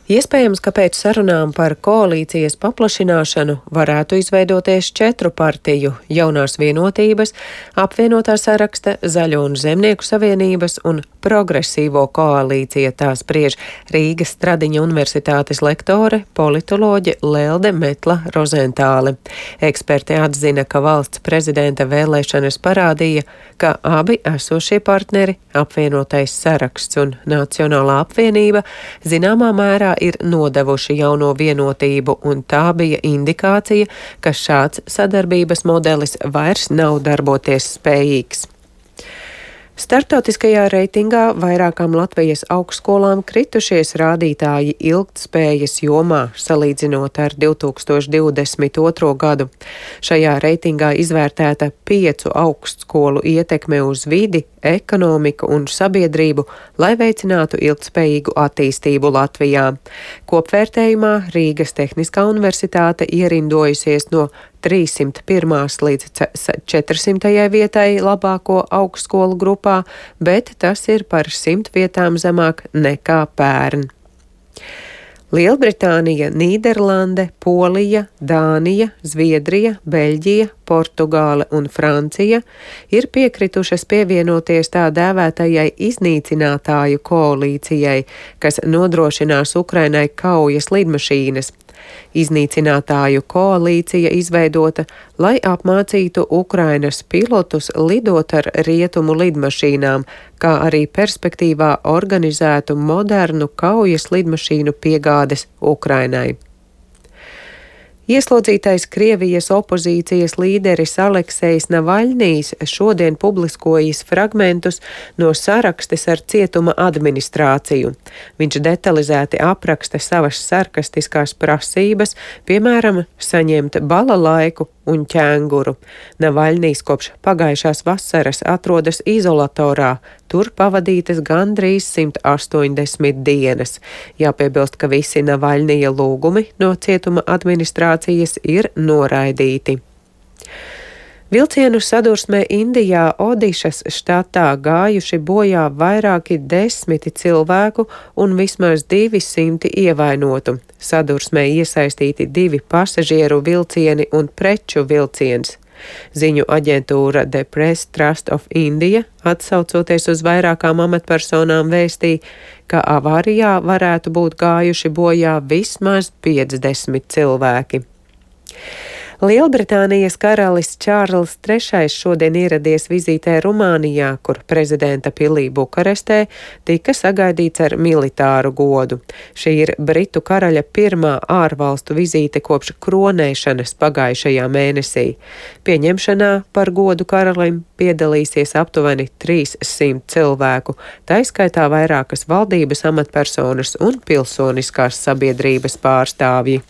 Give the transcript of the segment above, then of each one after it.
Iespējams, ka pēc sarunām par koalīcijas paplašināšanu varētu izveidoties 4 partiju - Jaunās vienotības, apvienotā saraksta, Zaļo un Zemnieku savienības un Progresīvo koalīcija, tā spriež Rīgas Stradiņa universitātes lektore, politoloģe Lelde Metla Rozentāle. Eksperti atzina, ka valsts prezidenta vēlēšanas parādīja, ka abi esošie partneri, apvienotais saraksts un Nacionālā apvienība, zināmā mērā ir nodevuši Jauno vienotību, un tā bija indikācija, ka šāds sadarbības modelis vairs nav darboties spējīgs. Startautiskajā reitingā vairākām Latvijas augstskolām kritušies rādītāji ilgtspējas jomā, salīdzinot ar 2022. gadu. Šajā reitingā izvērtēta 5 augstskolu ietekme uz vidi, ekonomiku un sabiedrību, lai veicinātu ilgtspējīgu attīstību Latvijā. Kopvērtējumā Rīgas Tehniskā universitāte ierindojusies no 301. līdz 400. vietai labāko augstskolu grupā, bet tas ir par 100 vietām zemāk nekā pērn. Lielbritānija, Nīderlande, Polija, Dānija, Zviedrija, Beļģija, Portugāle un Francija ir piekritušas pievienoties tā dēvētajai iznīcinātāju koalīcijai, kas nodrošinās Ukrainai kaujas lidmašīnas. Iznīcinātāju koalīcija izveidota, lai apmācītu Ukrainas pilotus lidot ar rietumu lidmašīnām, kā arī perspektīvā organizētu modernu kaujas lidmašīnu piegādes Ukrainai. Ieslodzītais Krievijas opozīcijas līderis Aleksejs Navaļnijs šodien publiskojis fragmentus no sarakstes ar cietuma administrāciju. Viņš detalizēti apraksta savas sarkastiskās prasības, piemēram, saņemt balalaiku un ķēnguru. Navaļnijs kopš pagājušās vasaras atrodas izolatorā, tur pavadītas gandrīz 180 dienas. Jāpiebilst, ka visi Navaļnija lūgumi no cietuma administrācijas ir noraidīti. Vilcienu sadursmē Indijā Odišas štatā gājuši bojā vairāki 10 cilvēku un vismaz 200 ievainotu. Sadursmē iesaistīti 2 pasažieru vilcieni un preču vilciens. Ziņu aģentūra The Press Trust of India, atsaucoties uz vairākām amatpersonām, vēstīja, ka avārijā varētu būt gājuši bojā vismaz 50 cilvēki. Lielbritānijas karalis Čārls III šodien ieradies vizītē Rumānijā, kur prezidenta pilī Bukarestē tika sagaidīts ar militāru godu. Šī ir Britu karaļa pirmā ārvalstu vizīte kopš kronēšanas pagājušajā mēnesī. Pieņemšanā par godu karalim piedalīsies aptuveni 300 cilvēku, taiskaitā vairākas valdības amatpersonas un pilsoniskās sabiedrības pārstāvji.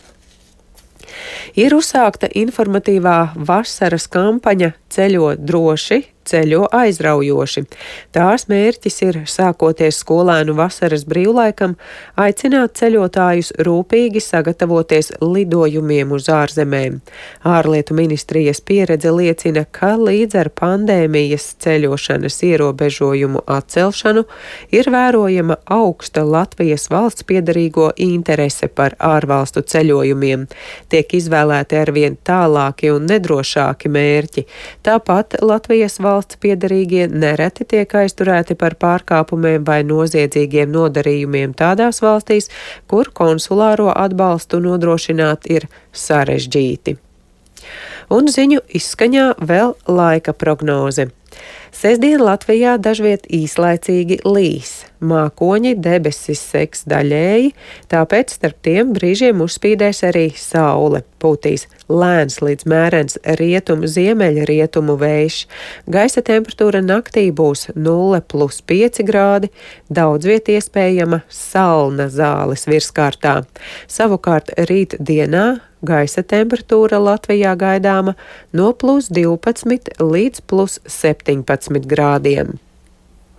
Ir uzsākta informatīvā vasaras kampaņa Ceļo droši, ceļo aizraujoši. Tās mērķis ir, sākoties skolēnu vasaras brīvlaikam, aicināt ceļotājus rūpīgi sagatavoties lidojumiem uz ārzemēm. Ārlietu ministrijas pieredze liecina, ka līdz ar pandēmijas ceļošanas ierobežojumu atcelšanu ir vērojama augsta Latvijas valsts piederīgo interese par ārvalstu ceļojumiem. Tiek izvēlēti arvien tālāki un nedrošāki mērķi. Tāpat Latvijas valsts piederīgie nereti tiek aizturēti par pārkāpumiem vai noziedzīgiem nodarījumiem tādās valstīs, kur konsulāro atbalstu nodrošināt ir sarežģīti. Un ziņu izskaņā vēl laika prognoze. Sestdien Latvijā dažviet īslaicīgi līs. Mākoņi debesis segs daļēji, tāpēc starp tiem brīžiem uzspīdēs arī saule. Pūtīs lēns līdz mērens rietumu-ziemeļrietumu vējš. Gaisa temperatūra naktī būs 0+5 grādi, daudz viet iespējama salna zāles virskārtā. Savukārt rīt dienā gaisa temperatūra Latvijā gaidāma no +12 līdz +17 grādiem.